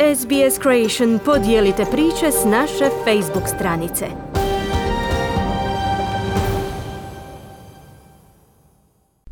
SBS Creation podijelite priče s naše Facebook stranice.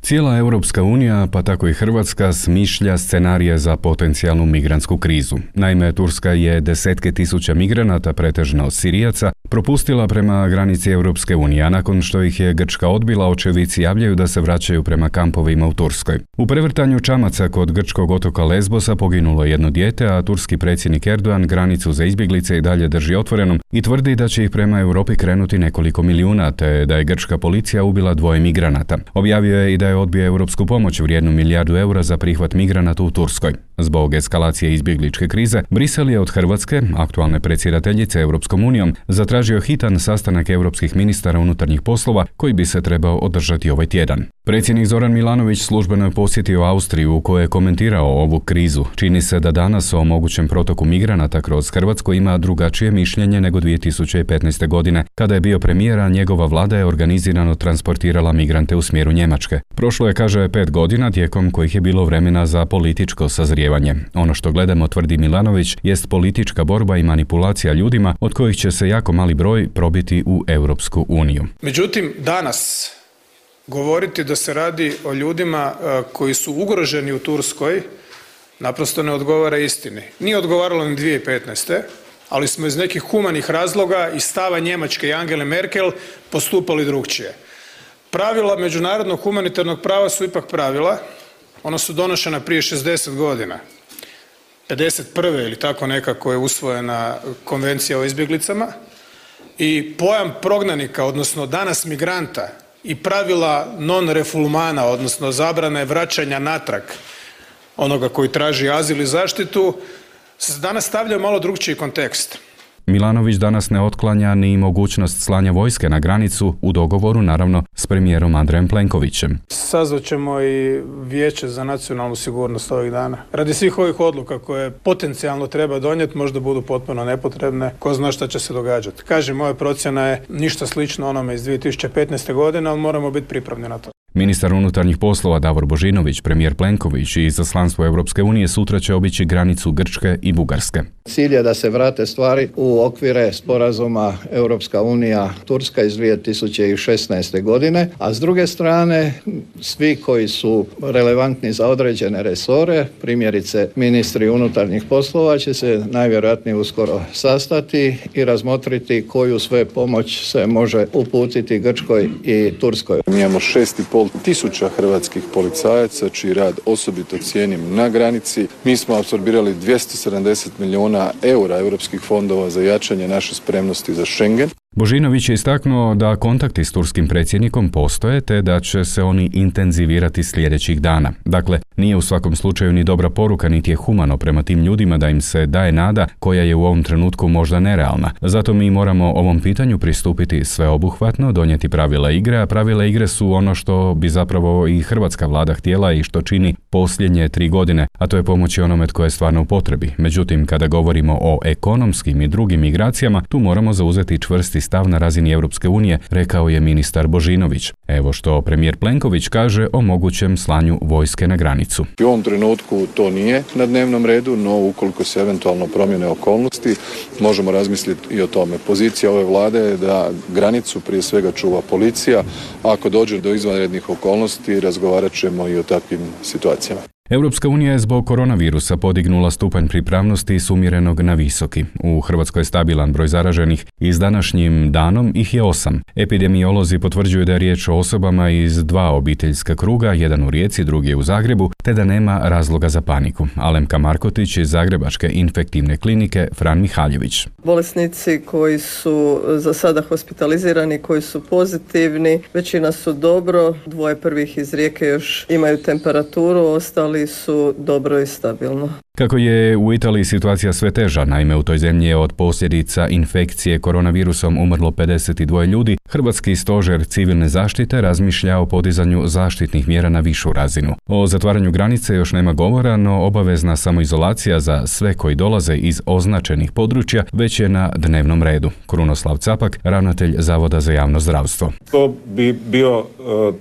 Cijela Europska unija, pa tako i Hrvatska, smišlja scenarije za potencijalnu migrantsku krizu. Naime, Turska je desetke tisuća migranata, pretežno Sirijaca, propustila prema granici Europske unije, a nakon što ih je Grčka odbila, očevici javljaju da se vraćaju prema kampovima u Turskoj. U prevrtanju čamaca kod grčkog otoka Lesbosa poginulo jedno dijete, a turski predsjednik Erdogan granicu za izbjeglice i dalje drži otvorenom i tvrdi da će ih prema Europi krenuti nekoliko milijuna, te da je grčka policija ubila 2 migranata. Objavio je i da je odbio europsku pomoć vrijednu 1 milijardu eura za prihvat migranata u Turskoj. Zbog eskalacije izbjegličke krize, Brisel je od Hrvatske, aktualne predsjedateljice Europskom unijom, zatražio hitan sastanak europskih ministara unutarnjih poslova koji bi se trebao održati ovaj tjedan. Predsjednik Zoran Milanović službeno je posjetio Austriju u kojoj je komentirao ovu krizu. Čini se da danas o mogućem protoku migranata kroz Hrvatsku ima drugačije mišljenje nego 2015. godine, kada je bio premijer, a njegova vlada je organizirano transportirala migrante u smjeru Njemačke. Prošlo je, kaže, 5 godina tijekom kojih je bilo vremena za političko sazrijevanje. Ono što gledamo, tvrdi Milanović, jest politička borba i manipulacija ljudima od kojih će se jako mali broj probiti u Europsku uniju. Međutim, danas govoriti da se radi o ljudima koji su ugroženi u Turskoj naprosto ne odgovara istini. Nije odgovaralo ni 2015. ali smo iz nekih humanih razloga i stava Njemačke i Angele Merkel postupali drukčije. Pravila međunarodnog humanitarnog prava su ipak pravila. Ona su donošena prije 60 godina. 51. ili tako nekako je usvojena konvencija o izbjeglicama i pojam prognanika, odnosno danas migranta, i pravila non-refulmana, odnosno zabrane vraćanja natrag onoga koji traži azil i zaštitu, se danas stavlja u malo drukčiji kontekst. Milanović danas ne otklanja ni mogućnost slanja vojske na granicu, u dogovoru naravno s premijerom Andrejem Plenkovićem. Sazvat ćemo i Vijeće za nacionalnu sigurnost ovih dana. Radi svih ovih odluka koje potencijalno treba donijeti, možda budu potpuno nepotrebne, ko zna šta će se događati. Kažem, moja procjena je ništa slično onome iz 2015. godine, ali moramo biti pripravni na to. Ministar unutarnjih poslova Davor Božinović, premijer Plenković i izaslanstvo Europske unije sutra će obići granicu Grčke i Bugarske. Cilj je da se vrate stvari u okvire sporazuma Europska unija Turska iz 2016. godine, a s druge strane svi koji su relevantni za određene resore, primjerice ministri unutarnjih poslova, će se najvjerojatnije uskoro sastati i razmotriti koju sve pomoć se može uputiti Grčkoj i Turskoj. Mi imamo 6.500 hrvatskih policajaca čiji rad osobito cijenim na granici. Mi smo apsorbirali 270 milijuna eura europskih fondova za jačanje naše spremnosti za Schengen. Božinović je istaknuo da kontakti s turskim predsjednikom postoje te da će se oni intenzivirati sljedećih dana. Dakle, nije u svakom slučaju ni dobra poruka niti je humano prema tim ljudima da im se daje nada koja je u ovom trenutku možda nerealna. Zato mi moramo ovom pitanju pristupiti sveobuhvatno, donijeti pravila igre, a pravila igre su ono što bi zapravo i hrvatska vlada htjela i što čini posljednje 3 godine, a to je pomoći onome tko je stvarno u potrebi. Međutim, kada govorimo o ekonomskim i drugim migracijama, tu moramo zauzeti čvrsti stav na razini Europske unije, rekao je ministar Božinović. Evo što premijer Plenković kaže o mogućem slanju vojske na granicu. U ovom trenutku to nije na dnevnom redu, no ukoliko se eventualno promjene okolnosti, možemo razmisliti i o tome. Pozicija ove vlade je da granicu prije svega čuva policija. Ako dođe do izvanrednih okolnosti, razgovarat ćemo i o takvim situacijama. Europska unija je zbog koronavirusa podignula stupanj pripravnosti s umjerenog na visoki. U Hrvatskoj je stabilan broj zaraženih i s današnjim danom ih je 8. Epidemiolozi potvrđuju da je riječ o osobama iz 2 obiteljska kruga, jedan u Rijeci, drugi je u Zagrebu, te da nema razloga za paniku. Alemka Markotić iz Zagrebačke infektivne klinike Fran Mihaljević. Bolesnici koji su za sada hospitalizirani, koji su pozitivni, većina su dobro, 2 prvih iz Rijeke još imaju temperaturu, ostali su dobro i stabilno. Kako je u Italiji situacija sve teža, naime u toj zemlji je od posljedica infekcije koronavirusom umrlo 52 ljudi, Hrvatski stožer civilne zaštite razmišlja o podizanju zaštitnih mjera na višu razinu. O zatvaranju granice još nema govora, no obavezna samoizolacija za sve koji dolaze iz označenih područja već je na dnevnom redu. Krunoslav Capak, ravnatelj Zavoda za javno zdravstvo. To bi bio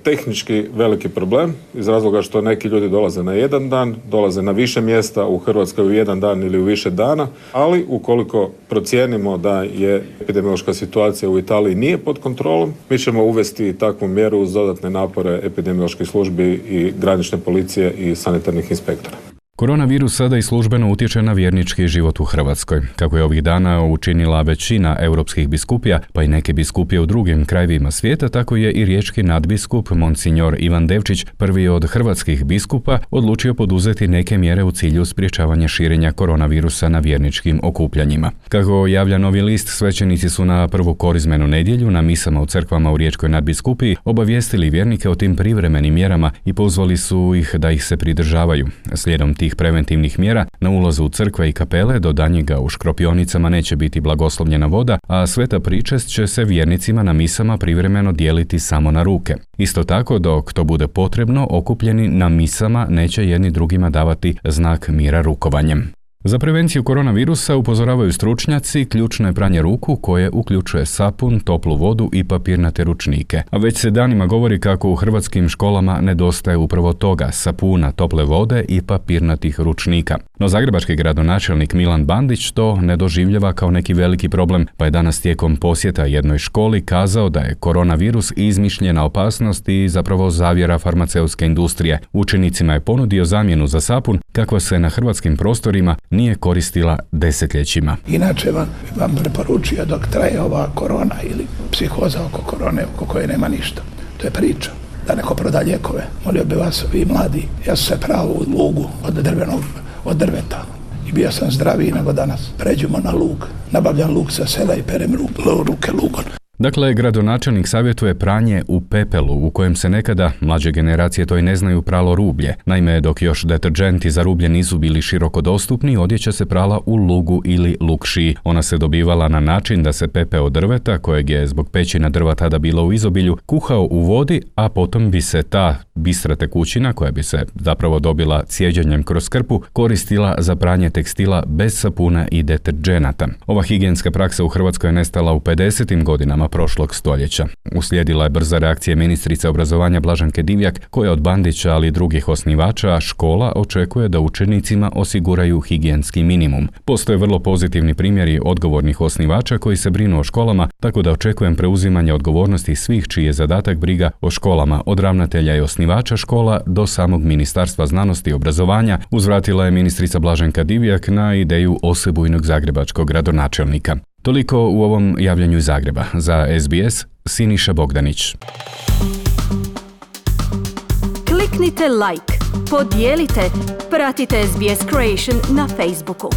tehnički veliki problem iz razloga što neki ljudi dolaze na jedan dan, dolaze na više mjesta u Hrvatskoj u jedan dan ili u više dana, ali ukoliko procijenimo da je epidemiološka situacija u Italiji nije pod kontrolom, mi ćemo uvesti takvu mjeru uz dodatne napore epidemioloških službi i granične policije i sanitarnih inspektora. Koronavirus sada i službeno utječe na vjernički život u Hrvatskoj. Kako je ovih dana učinila većina europskih biskupija, pa i neke biskupije u drugim krajevima svijeta, tako je i riječki nadbiskup Monsignor Ivan Devčić, prvi od hrvatskih biskupa, odlučio poduzeti neke mjere u cilju sprječavanja širenja koronavirusa na vjerničkim okupljanjima. Kako javlja Novi list, svećenici su na prvu korizmenu nedjelju na misama u crkvama u riječkoj nadbiskupiji obavijestili vjernike o tim privremenim mjerama i pozvali su ih da ih se pridržavaju. Slijedom tih preventivnih mjera, na ulazu u crkve i kapele do danjega u škropionicama neće biti blagoslovljena voda, a sveta pričest će se vjernicima na misama privremeno dijeliti samo na ruke. Isto tako, dok to bude potrebno, okupljeni na misama neće jedni drugima davati znak mira rukovanjem. Za prevenciju koronavirusa, upozoravaju stručnjaci, ključno je pranje ruku koje uključuje sapun, toplu vodu i papirnate ručnike. A već se danima govori kako u hrvatskim školama nedostaje upravo toga, sapuna, tople vode i papirnatih ručnika. No zagrebački gradonačelnik Milan Bandić to ne doživljava kao neki veliki problem, pa je danas tijekom posjeta jednoj školi kazao da je koronavirus izmišljena opasnost i zapravo zavjera farmaceutske industrije. Učenicima je ponudio zamjenu za sapun kakva se na hrvatskim prostorima nije koristila desetljećima. Inače vam preporučio dok traje ova korona ili psihoza oko korone, oko koje nema ništa. To je priča. Da neko proda lijekove. Molio bi vas, vi mladi, ja sam se pravo u lugu od drveta. I bio sam zdraviji nego danas. Pređemo na lug. Nabavljam lug sa sela i perem ruke lugom. Dakle, gradonačelnik savjetuje pranje u pepelu, u kojem se nekada, mlađe generacije to i ne znaju, pralo rublje. Naime, dok još deterdženti za rublje nisu bili široko dostupni, odjeća se prala u lugu ili lukšiji. Ona se dobivala na način da se pepeo drveta, kojeg je zbog pećina drva tada bilo u izobilju, kuhao u vodi, a potom bi se ta bistra tekućina, koja bi se zapravo dobila cijeđenjem kroz krpu, koristila za pranje tekstila bez sapuna i deterdženata. Ova higijenska praksa u Hrvatskoj je nestala u 50. godinama prošlog stoljeća. Uslijedila je brza reakcija ministrice obrazovanja Blaženke Divjak, koja od Bandića, ali i drugih osnivača škola očekuje da učenicima osiguraju higijenski minimum. Postoje vrlo pozitivni primjeri odgovornih osnivača koji se brinu o školama, tako da očekujem preuzimanje odgovornosti svih čiji je zadatak briga o školama, od ravnatelja i osnivača škola do samog Ministarstva znanosti i obrazovanja, uzvratila je ministrica Blaženka Divjak na ideju osebujnog zagrebačkog gradonačelnika. Toliko u ovom javljanju iz Zagreba. Za SBS, Siniša Bogdanić. Kliknite like, podijelite, pratite SBS Creation na Facebooku.